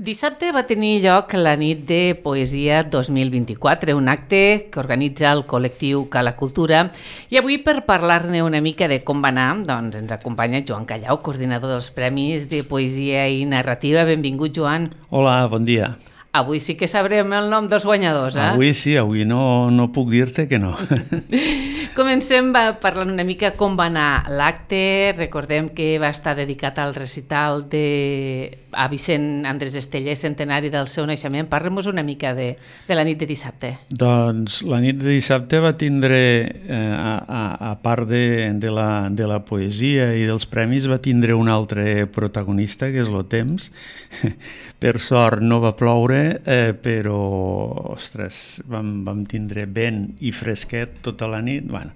Dissabte va tenir lloc la nit de Poesia 2024, un acte que organitza el col·lectiu Cala Cultura. I avui, per parlar-ne una mica de com va anar, doncs ens acompanya Joan Callau, coordinador dels Premis de Poesia i Narrativa. Benvingut, Joan. Hola, bon dia. Avui sí que sabrem el nom dels guanyadors, eh? Avui sí, avui no puc dir-te que no. Comencem parlant una mica com va anar l'acte. Recordem que va estar dedicat al recital a Vicent Andrés Esteller, centenari del seu naixement. Parlem-nos una mica de la nit de dissabte. Doncs la nit de dissabte va tindre, a part de la poesia i dels premis, va tindre un altre protagonista, que és el temps. Per sort no va ploure, però, ostres, vam tindre vent i fresquet tota la nit. Bueno,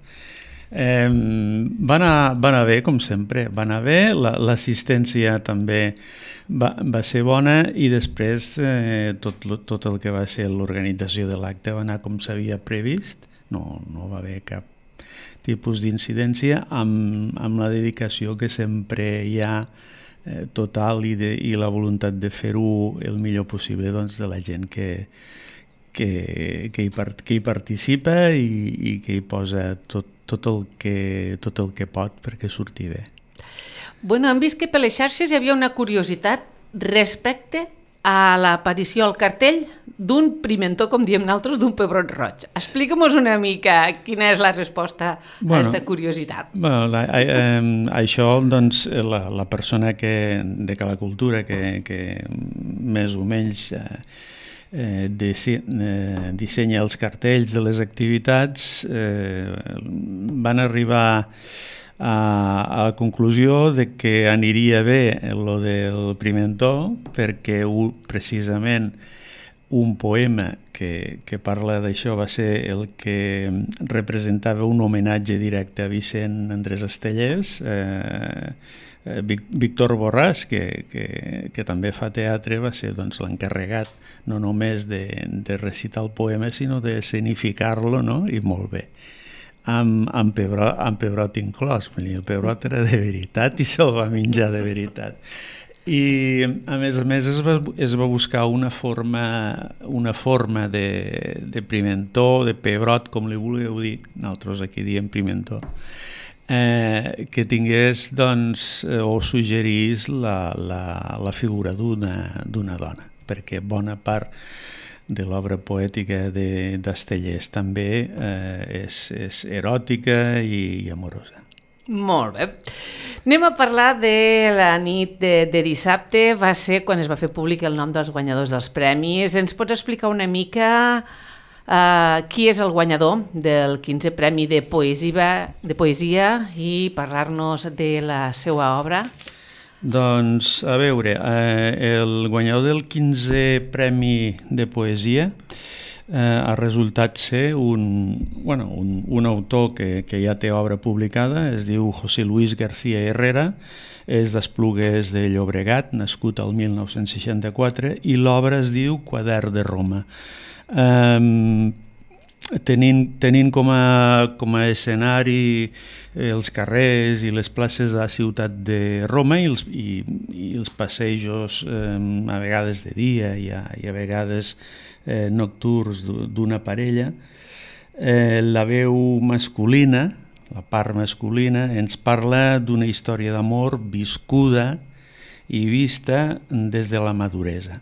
va anar bé, com sempre, va anar bé, l'assistència també va ser bona i després tot el que va ser l'organització de l'acte va anar com s'havia previst, no va haver cap tipus d'incidència, amb la dedicació que sempre hi ha total i la voluntat de fer-ho el millor possible, doncs, de la gent que hi participa i que hi posa tot el que pot perquè surti bé. Bueno, hem vist que per les xarxes hi havia una curiositat respecte a l'aparició al cartell d'un pimentó, com diem nosaltres, d'un pebrot roig. Explica'm-nos una mica quina és la resposta a aquesta curiositat. Bueno, això, doncs, la persona de Cala Cultura que més o menys dissenya els cartells de les activitats, van arribar a la conclusió de que aniria bé lo del pimentó perquè precisament un poema que parla d'això va ser el que representava un homenatge directe a Vicent Andrés Estellers, Víctor Borràs, que també fa teatre, va ser, doncs, l'encarregat no només de recitar el poema sinó d'escenificar-lo, no? I molt bé. Amb pebrot inclòs, el pebrot era de veritat i se'l va menjar de veritat. I a més es va buscar una forma de pimentó, de pebrot, com li vulgueu dir, nosaltres aquí diem pimentó, que tingués, doncs, o suggerís la figura d'una dona, perquè bona part de l'obra poètica d'Estellers també és eròtica i amorosa. Molt bé. Anem a parlar de la nit de dissabte. Va ser quan es va fer públic el nom dels guanyadors dels premis. Ens pots explicar una mica qui és el guanyador del 15è Premi de Poesia i parlar-nos de la seva obra? Doncs, a veure, el guanyador del 15è Premi de Poesia ha resultat ser un autor que ja té obra publicada, es diu José Luis García Herrera, és d'Esplugues de Llobregat, nascut al 1964, i l'obra es diu Quadern de Roma. Tenint com a escenari els carrers i les places de la ciutat de Roma i els passejos, a vegades de dia i a vegades nocturns d'una parella, la veu masculina, la part masculina, ens parla d'una història d'amor viscuda i vista des de la maduresa.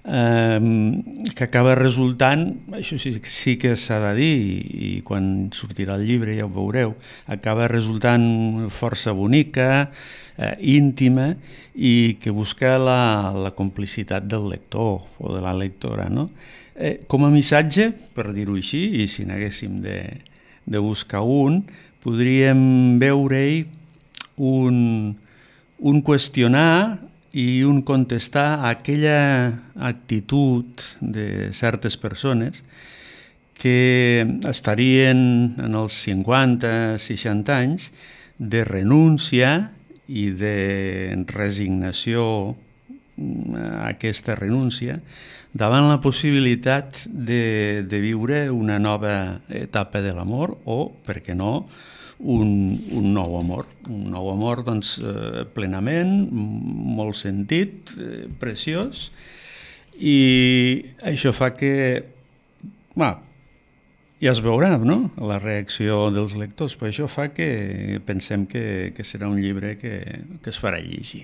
Que acaba resultant, això sí que s'ha de dir, i quan sortirà el llibre ja ho veureu, acaba resultant força bonica, íntima, i que busca la complicitat del lector o de la lectora, no? Com a missatge, per dir-ho així, i si n'haguéssim de buscar podríem veure-hi un qüestionar i un contestar a aquella actitud de certes persones que estarien en els 50-60 anys de renúncia i de resignació a aquesta renúncia davant la possibilitat de viure una nova etapa de l'amor o, per què no, un nou amor, doncs, plenament, molt sentit, preciós, I això fa que... ja es veurà, no?, la reacció dels lectors, però això fa que pensem que serà un llibre que es farà llegir.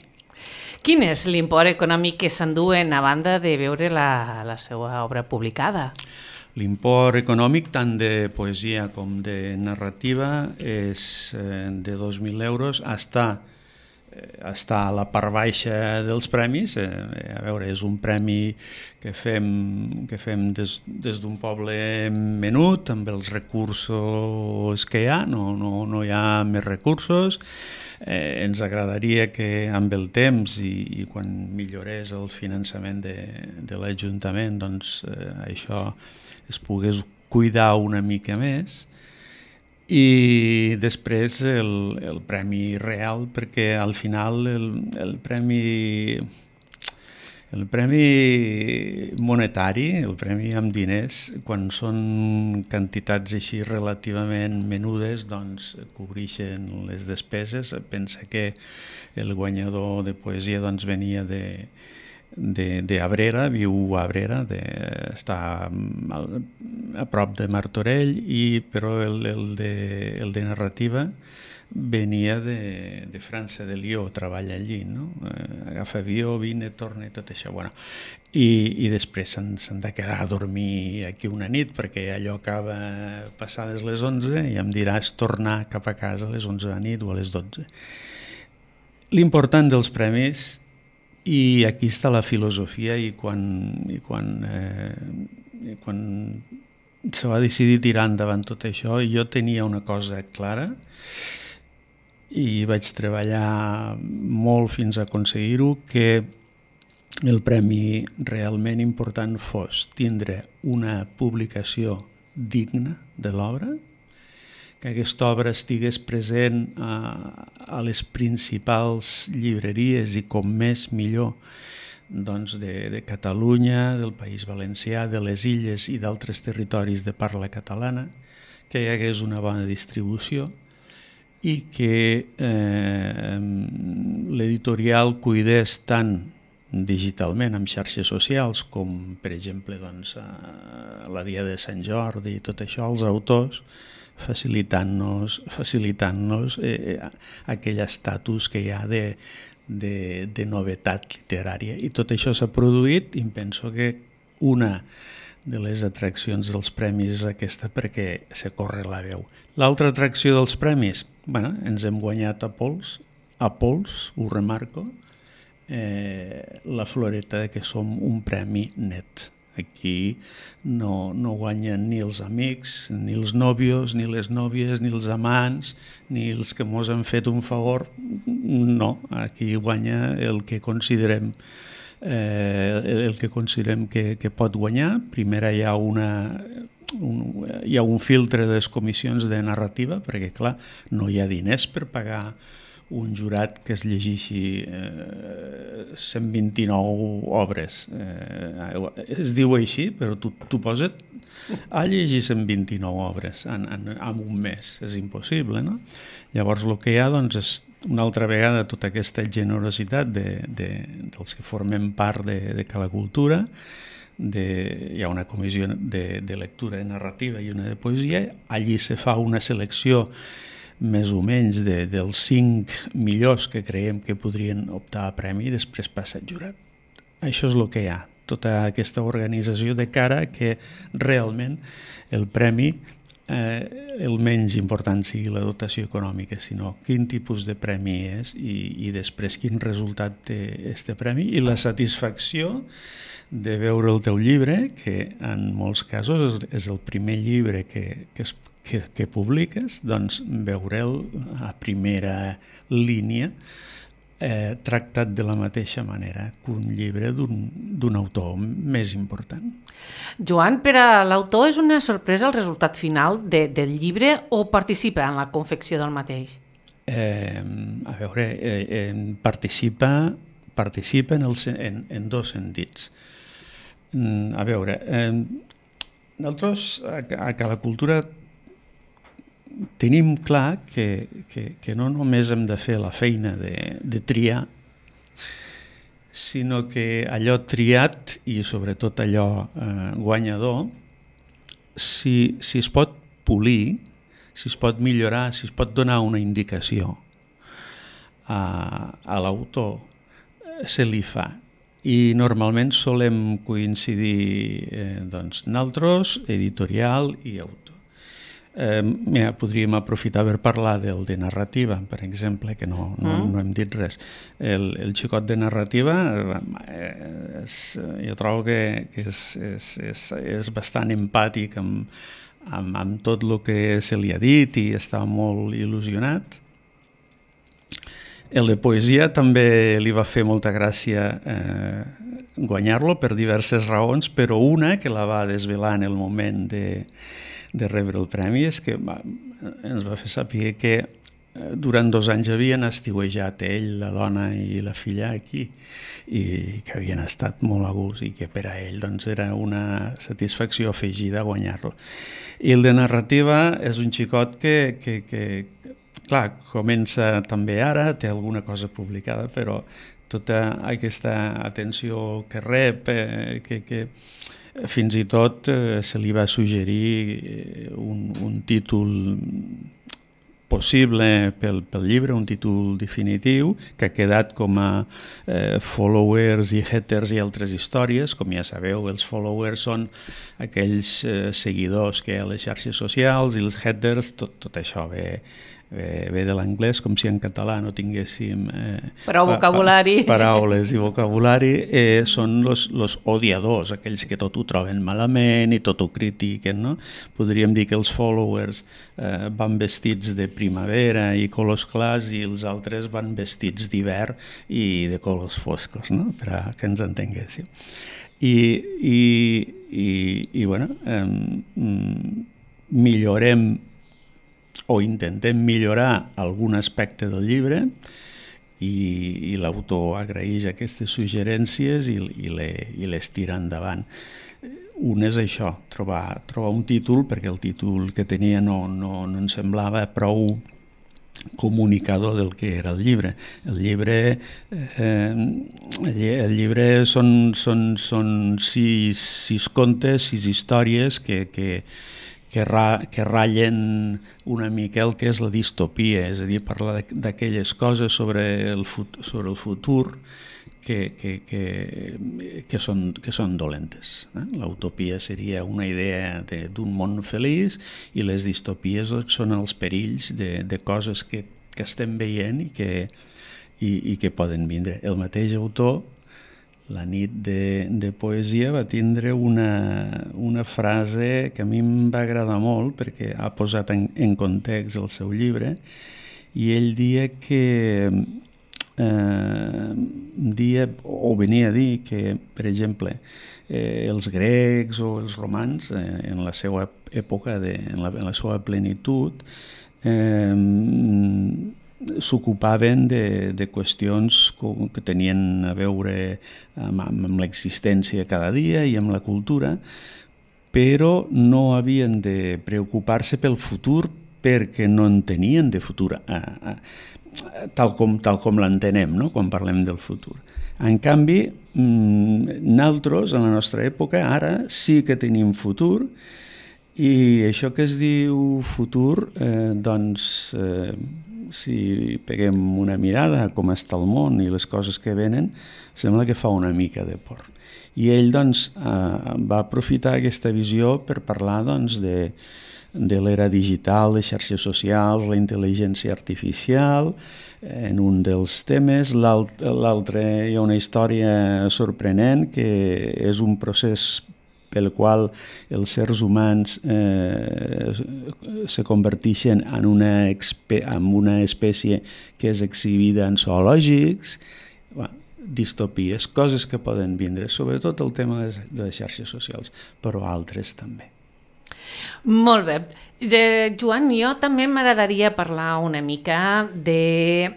Quin és l'import econòmic que s'enduen a banda de veure la seva obra publicada? L'import econòmic tant de poesia com de narrativa és de 2.000 euros, està a la part baixa dels premis. A veure, és un premi que fem des d'un poble menut, amb els recursos que hi ha, no hi ha més recursos. Ens agradaria que amb el temps i quan millorés el finançament de l'Ajuntament, doncs això es pogués cuidar una mica més. I després el premi real, perquè al final el premi monetari, el premi amb diners, quan són quantitats així relativament menudes, doncs cobreixen les despeses. Pensa que el guanyador de poesia doncs venia de Abrera, viu a Abrera, està a prop de Martorell, però el de narrativa venia de França, de Lió, treballa allí, no? Agafa avió, vine, torna i tot això. Bueno, i després s'han de quedar a dormir aquí una nit, perquè allò acaba passades les 11 i em diràs tornar cap a casa a les 11 de la nit o a les 12. L'important dels premis, i aquí està la filosofia, i quan se va decidir tirar endavant tot això, jo tenia una cosa clara i vaig treballar molt fins a aconseguir-ho, que el premi realment important fos tindre una publicació digna de l'obra, que aquesta obra estigués present a les principals llibreries i com més millor, doncs de Catalunya, del País Valencià, de les Illes i d'altres territoris de parla catalana, que hi hagués una bona distribució i que l'editorial cuidés tant digitalment amb xarxes socials com, per exemple, doncs, a la Dia de Sant Jordi i tot això, els autors, facilitant-nos aquell estatus que hi ha de novetat literària. I tot això s'ha produït, i penso que una de les atraccions dels premis és aquesta, perquè se corre la veu. L'altra atracció dels premis, ens hem guanyat a pols, ho remarco, la floreta que som un premi net. Aquí no guanyen ni els amics, ni els nòvios, ni les nòvies, ni els amants, ni els que mos han fet un favor. No, aquí guanya el que considerem que pot guanyar. Primer hi ha un filtre de les comissions de narrativa, perquè clar, no hi ha diners per pagar un jurat que es llegeixi 129 obres. Es diu així, però tu posa't a llegir 129 obres en un mes. És impossible, no? Llavors el que hi ha doncs, és una altra vegada tota aquesta generositat dels que formem part de Cala Cultura. Hi ha una comissió de lectura de narrativa i una de poesia. Allí se fa una selecció més o menys dels 5 millors que creiem que podrien optar a premi, i després passa el jurat. Això és el que hi ha, tota aquesta organització de cara que realment el premi, el menys important sigui la dotació econòmica, sinó quin tipus de premi és i després quin resultat té este premi, i la satisfacció de veure el teu llibre, que en molts casos és el primer llibre que publiques, doncs veure'l a primera línia tractat de la mateixa manera que un llibre d'un autor més important. Joan, per a l'autor és una sorpresa el resultat final del llibre o participa en la confecció del mateix? A veure, participa en dos sentits. A veure, nosaltres a Cala Cultura tenim clar que no només hem de fer la feina de triar, sinó que allò triat i sobretot allò guanyador, si es pot polir, si es pot millorar, si es pot donar una indicació a l'autor, se li fa. I normalment solem coincidir nosaltres, editorial i autor. Podríem aprofitar per parlar del de narrativa, per exemple, que no hem dit res. El xicot de narrativa jo trobo que és bastant empàtic amb tot el que se li ha dit i està molt il·lusionat. El de poesia també li va fer molta gràcia guanyar-lo per diverses raons, però una que la va desvelar en el moment de rebre el premi és que ens va fer saber que durant 2 anys havien estiuejat ell, la dona i la filla aquí i que havien estat molt a gust i que per a ell era una satisfacció afegida guanyar-lo. I el de narrativa és un xicot que clar, comença també ara, té alguna cosa publicada, però tota aquesta atenció que rep, que fins i tot se li va suggerir un títol possible pel llibre, un títol definitiu, que ha quedat com a followers i haters i altres històries. Com ja sabeu, els followers són aquells seguidors que hi ha a les xarxes socials i els haters, tot això ve de l'anglès, com si en català no tinguéssim paraules i vocabulari. Són els odiadors, aquells que tot ho troben malament i tot ho critiquen, no? Podríem dir que els followers van vestits de primavera i colors clars i els altres van vestits d'hivern i de colors foscos, no? Per a que ens entenguéssim. I bueno, millorem o intentem millorar algun aspecte del llibre i l'autor agraeix aquestes suggerències i les tira endavant. Un és això, trobar un títol, perquè el títol que tenia no ens semblava prou comunicador del que era el llibre. El llibre són 6 contes, 6 històries que ratllen una mica el que és la distopia, és a dir, parlar d'aquelles coses sobre el futur que són dolentes. La seria una idea d'un món feliç i les distopies són els perills de coses que estem veient i que poden vindre. El mateix autor, la nit de poesia, va tindre una frase que a mi em va agradar molt perquè ha posat en context el seu llibre, i ell venia a dir que, per exemple, els grecs o els romans, en la seva època, en la seva plenitud, s'ocupaven de qüestions que tenien a veure amb l'existència cada dia i amb la cultura, però no havien de preocupar-se pel futur perquè no en tenien de futur, tal com l'entenem, no? Quan parlem del futur. En canvi, nosaltres, en la nostra època, ara sí que tenim futur, i això que es diu futur, si peguem una mirada a com està el món i les coses que venen, sembla que fa una mica de por. I ell va aprofitar aquesta visió per parlar de l'era digital, les xarxes socials, la intel·ligència artificial, en un dels temes. L'altre, hi ha una història sorprenent, que és un procés pel qual els éssers humans se converteixen en una espècie que és exhibida en zoològics. Distopies, coses que poden vindre, sobretot el tema de les xarxes socials, però altres també. Molt bé. Joan, jo també m'agradaria parlar una mica del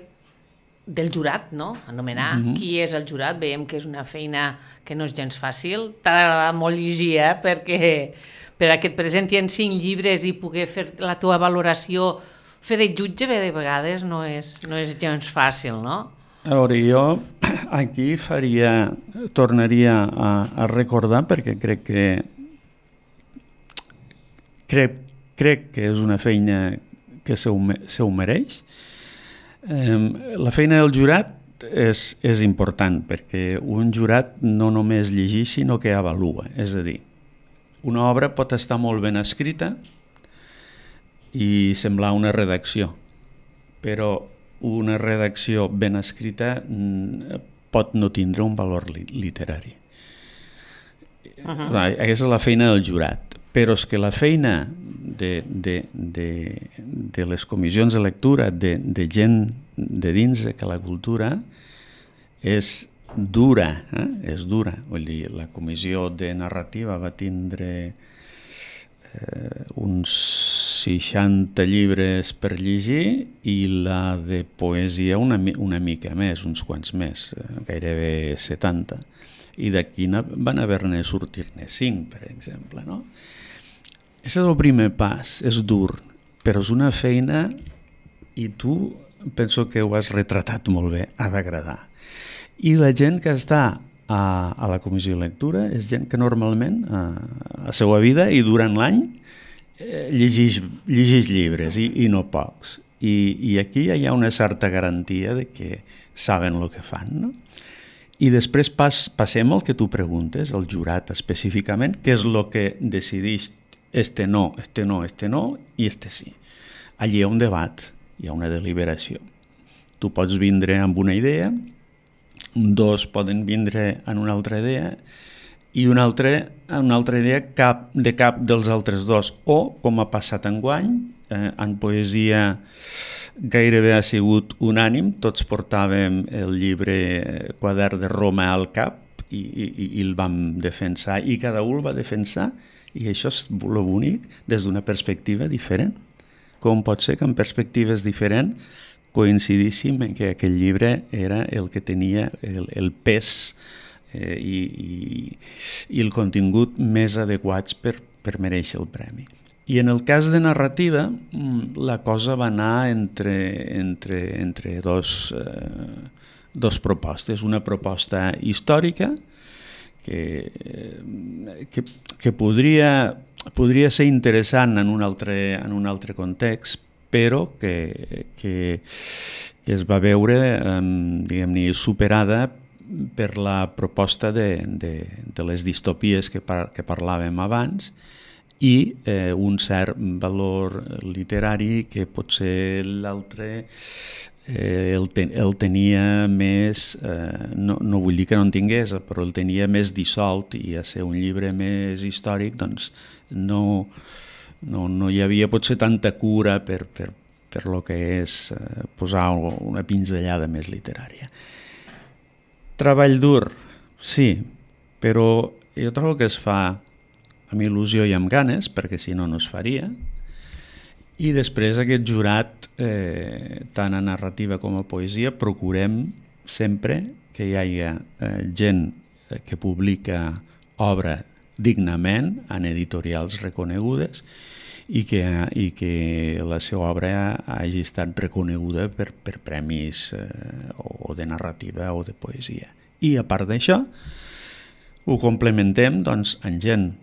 jurat, no? Anomenar qui és el jurat. Veiem que és una feina que no és gens fàcil. T'ha d'agradat molt llegir, perquè per a que et presenti en 5 llibres i poder fer la teva valoració, fer de jutge de vegades no és gens fàcil, no? A veure, jo aquí tornaria a recordar, perquè crec que és una feina que se ho mereix. La feina del jurat és important, perquè un jurat no només llegeix, sinó que avalua. És a dir, una obra pot estar molt ben escrita i semblar una redacció, però una redacció ben escrita pot no tindre un valor literari. Aquesta és la feina del jurat, però és que la feina de les comissions de lectura de gent de dins de la cultura és dura, és dura. Vull dir, la comissió de narrativa va tindre uns 60 llibres per llegir i la de poesia una mica més, uns quants més, gairebé 70. I d'aquí van haver-ne sortir-ne 5, per exemple. No? Aquest és el primer pas, és dur, però és una feina i tu penso que ho has retratat molt bé, ha d'agradar. I la gent que està a la comissió de lectura és gent que normalment a la seva vida i durant l'any llegeix llibres i no pocs. I aquí hi ha una certa garantia de que saben el que fan, no? I després passem al que tu preguntes, el jurat específicament, què és el que decideix este no i este sí. Allí hi ha un debat, hi ha una deliberació. Tu pots vindre amb una idea, dos poden vindre en una altra idea i una altra idea de cap dels altres dos. O, com ha passat enguany, en poesia gairebé ha sigut unànim, tots portàvem el llibre Quadern de Roma al cap i el vam defensar i cada un el va defensar i això és el bonic des d'una perspectiva diferent. Com pot ser que en perspectives diferents coincidíssim en que aquell llibre era el que tenia el pes i el contingut més adequats per mereixer el premi. I en el cas de narrativa, la cosa va anar entre dos propostes. Una proposta històrica que podria ser interessant en un altre context, però que es va veure diguem-ne superada per la proposta de les distopies que parlàvem abans i un cert valor literari que potser l'altre el tenia més, no vull dir que no en tingués, però el tenia més dissolt i a ser un llibre més històric doncs no hi havia potser tanta cura per lo que és posar una pinzellada més literària. Treball dur, sí, però jo trobo que es fa amb il·lusió i amb ganes, perquè si no, no es faria. I després aquest jurat, tant a narrativa com a poesia, procurem sempre que hi hagi gent que publica obra dignament en editorials reconegudes i que la seva obra hagi estat reconeguda per premis o de narrativa o de poesia. I a part d'això, ho complementem doncs, amb gent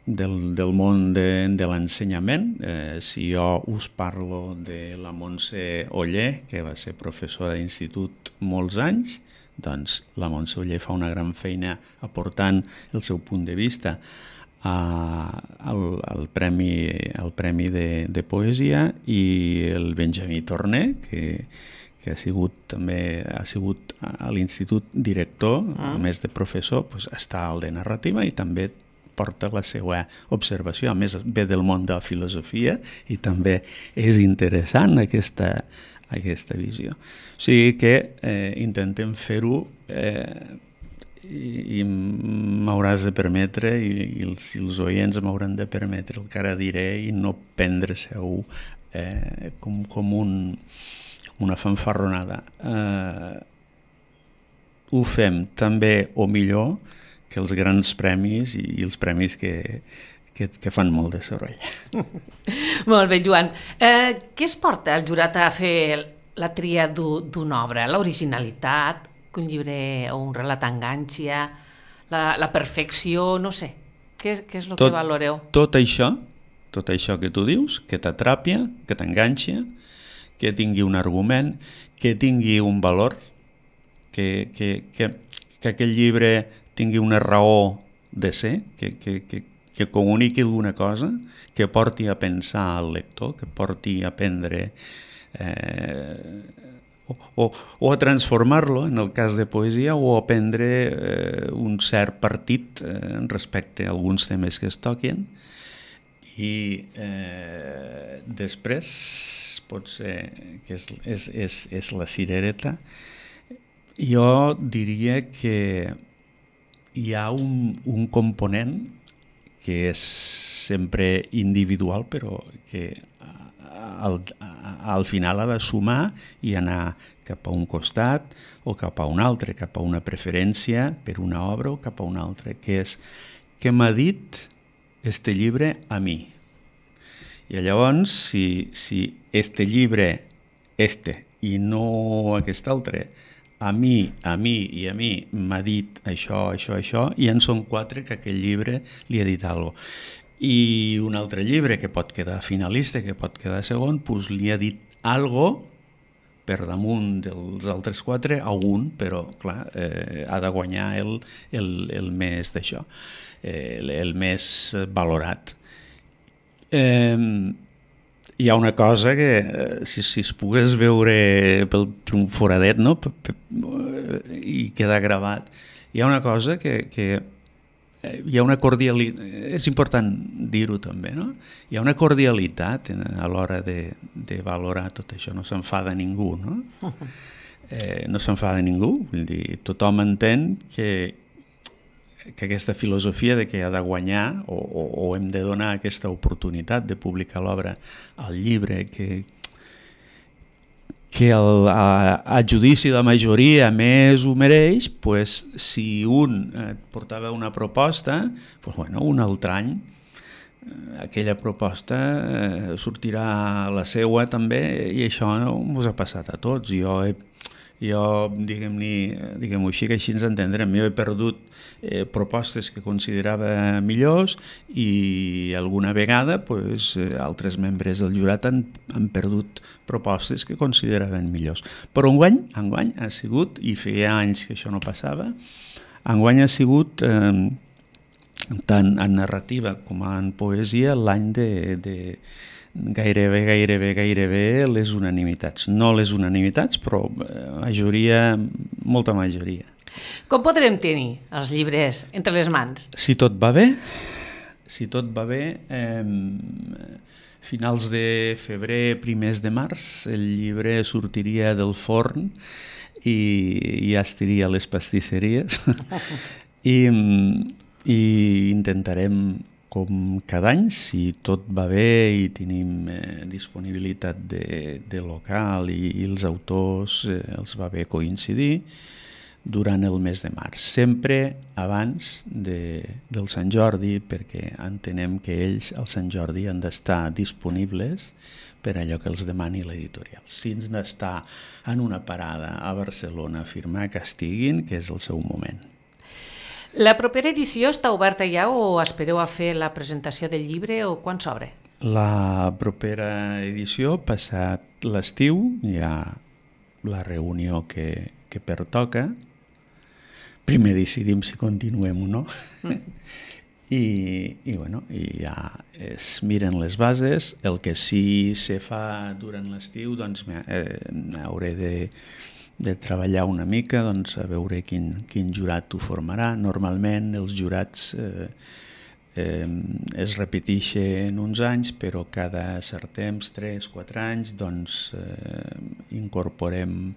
del món de l'ensenyament. Si jo us parlo de la Montse Oller, que va ser professora d'institut molts anys, doncs la Montse Oller fa una gran feina aportant el seu punt de vista al premi de poesia, i el Benjamí Torner, que ha sigut a l'institut director, a més de professor, doncs està al de narrativa i també porta la seva observació. A més, ve del món de la filosofia i també és interessant aquesta visió. O sigui que intentem fer-ho i m'hauràs de permetre, i els oients m'hauran de permetre el que ara diré, i no prendre-se-ho com una fanfarronada. Ho fem també o millor que els grans premis i els premis que fan molt de soroll. Molt bé, Joan. Què es porta el jurat a fer la tria d'una obra? L'originalitat, que un llibre o un relat enganxia, la perfecció, no sé. Què és el que valoreu? Tot això que tu dius, que t'atrapia, que t'enganxa, que tingui un argument, que tingui un valor, que aquell llibre tingui una raó de ser, que comuniqui alguna cosa, que porti a pensar al lector, que porti a aprendre o a transformar-lo, en el cas de poesia, o a prendre un cert partit respecte a alguns temes que es toquen. I després pot ser que és la cirereta. Jo diria que hi ha un component que és sempre individual, però que al final ha de sumar i anar cap a un costat o cap a un altre, cap a una preferència per una obra o cap a una altra, que és què m'ha dit este llibre a mi. I llavors, si este llibre, i no aquest altre, a mi m'ha dit això, i en són 4 que aquell llibre li ha dit alguna cosa. I un altre llibre que pot quedar finalista, que pot quedar segon, doncs li ha dit alguna cosa per damunt dels altres 4 a un, però clar, ha de guanyar el més d'això, el més valorat. Hi ha una cosa que si es pogués veure per un foradet, no? I queda gravat, hi ha una cosa que hi ha una cordialitat, és important dir-ho també, no? Hi ha una cordialitat a l'hora de valorar tot això, no s'enfada ningú, no? No s'enfada ningú, vull dir, tothom entén que aquesta filosofia de que ha de guanyar o hem de donar aquesta oportunitat de publicar l'obra al llibre que a judici de la majoria més ho mereix, pues, si un portava una proposta, pues, bueno, un altre any aquella proposta sortirà la seua també, i això ens ha passat a tots. Jo diguem-ho així, que així ens entendrem, jo he perdut propostes que considerava millors i alguna vegada altres membres del jurat han perdut propostes que consideraven millors. Però enguany ha sigut, i feia anys que això no passava, enguany ha sigut tant en narrativa com en poesia l'any de gairebé les unanimitats. No les unanimitats, però molta majoria. Com podrem tenir els llibres entre les mans? Si tot va bé, finals de febrer, primers de març, el llibre sortiria del forn i ja estaria a les pastisseries. I intentarem, com cada any, si tot va bé i tenim disponibilitat de local i els autors els va bé coincidir, durant el mes de març, sempre abans del Sant Jordi, perquè entenem que ells al Sant Jordi han d'estar disponibles per allò que els demani l'editorial. Si han d'estar en una parada a Barcelona a firmar, que estiguin, que és el seu moment. La propera edició està oberta ja o espereu a fer la presentació del llibre o quan s'obre? La propera edició, passat l'estiu, hi ha la reunió que pertoca. Primer decidim si continuem o no. I ja es miren les bases. El que sí se fa durant l'estiu, doncs hauré de treballar una mica, doncs, a veure quin jurat ho formarà. Normalment els jurats es repeteixen uns anys, però cada cert temps, 3-4 anys, doncs incorporem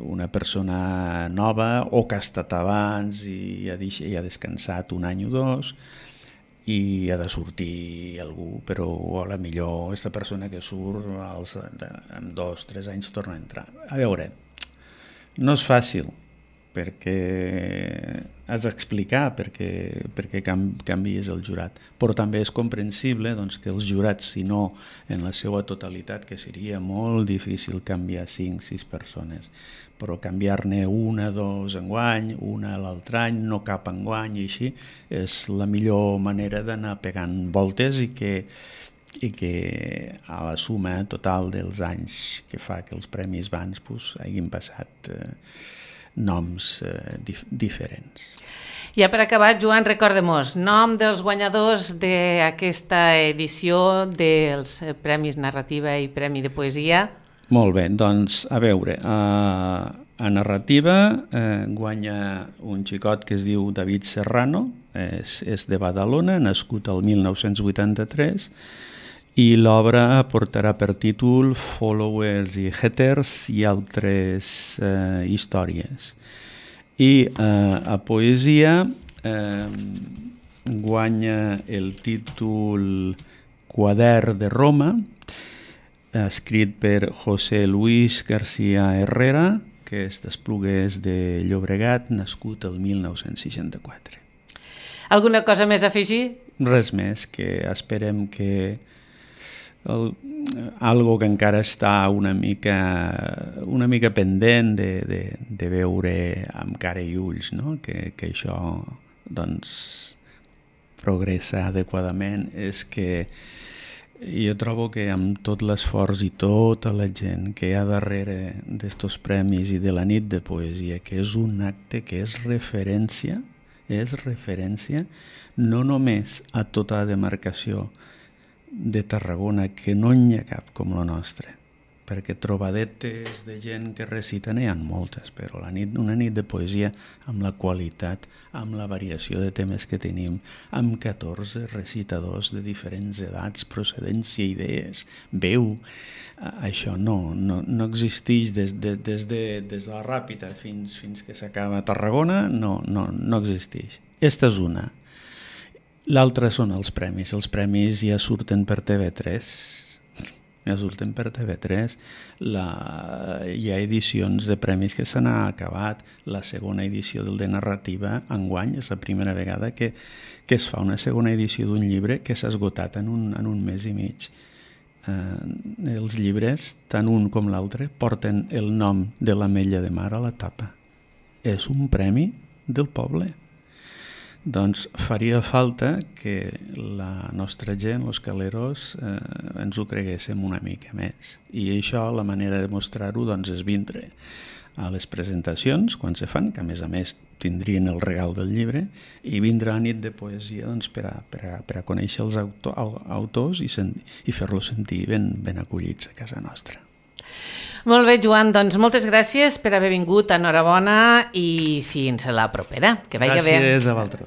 una persona nova o que ha estat abans i ha descansat un any o dos i ha de sortir algú, però a la millor aquesta persona que surt en 2-3 anys torna a entrar. A veure, no és fàcil, has d'explicar perquè canvies el jurat. Però també és comprensible doncs, que els jurats, si no en la seva totalitat, que seria molt difícil canviar 5-6 persones, però canviar-ne una, dos enguany, una l'altre any, no cap enguany, i així és la millor manera d'anar pegant voltes i que a la suma total dels anys que fa que els premis Vans hagin passat noms diferents. Ja per acabar, Joan, recorda-mos, nom dels guanyadors d'aquesta edició dels Premis Narrativa i Premi de Poesia. Molt bé, doncs a veure, a narrativa guanya un xicot que es diu David Serrano, és de Badalona, nascut el 1983, i l'obra portarà per títol Followers i Haters i altres històries. I a poesia guanya el títol Quadern de Roma, escrit per José Luis García Herrera, que és d'Esplugues de Llobregat, nascut el 1964. Alguna cosa més a afegir? Res més, que esperem que algo que encara està una mica pendent de veure amb cara i ulls, no? que això doncs, progressa adequadament, és que jo trobo que amb tot l'esforç i tota la gent que hi ha darrere d'estos premis i de la nit de poesia, que és un acte que és referència no només a tota la demarcació de Tarragona, que no n'hi ha cap com la nostra, perquè trobadetes de gent que reciten hi ha moltes, però una nit de poesia amb la qualitat, amb la variació de temes que tenim, amb 14 recitadors de diferents edats, procedència, idees, veu, això no existeix des de la Ràpita fins que s'acaba a Tarragona, no existeix. Esta és una. L'altre són els premis. Els premis ja surten per TV3. Hi ha edicions de premis que se n'ha acabat. La segona edició del de narrativa enguany és la primera vegada que es fa una segona edició d'un llibre que s'ha esgotat en un mes i mig. Els llibres, tant un com l'altre, porten el nom de l'Ametlla de Mar a la tapa. És un premi del poble. Doncs faria falta que la nostra gent, els caleros, ens ho creguéssim una mica més. I això, la manera de mostrar-ho, doncs, és vindre a les presentacions, quan se fan, que a més tindrien el regal del llibre, i vindre a nit de poesia doncs, per a conèixer els autors i fer-los sentir ben acollits a casa nostra. Molt bé, Joan, doncs moltes gràcies per haver vingut, enhorabona i fins a la propera. Que vagi bé. Gràcies a vosaltres.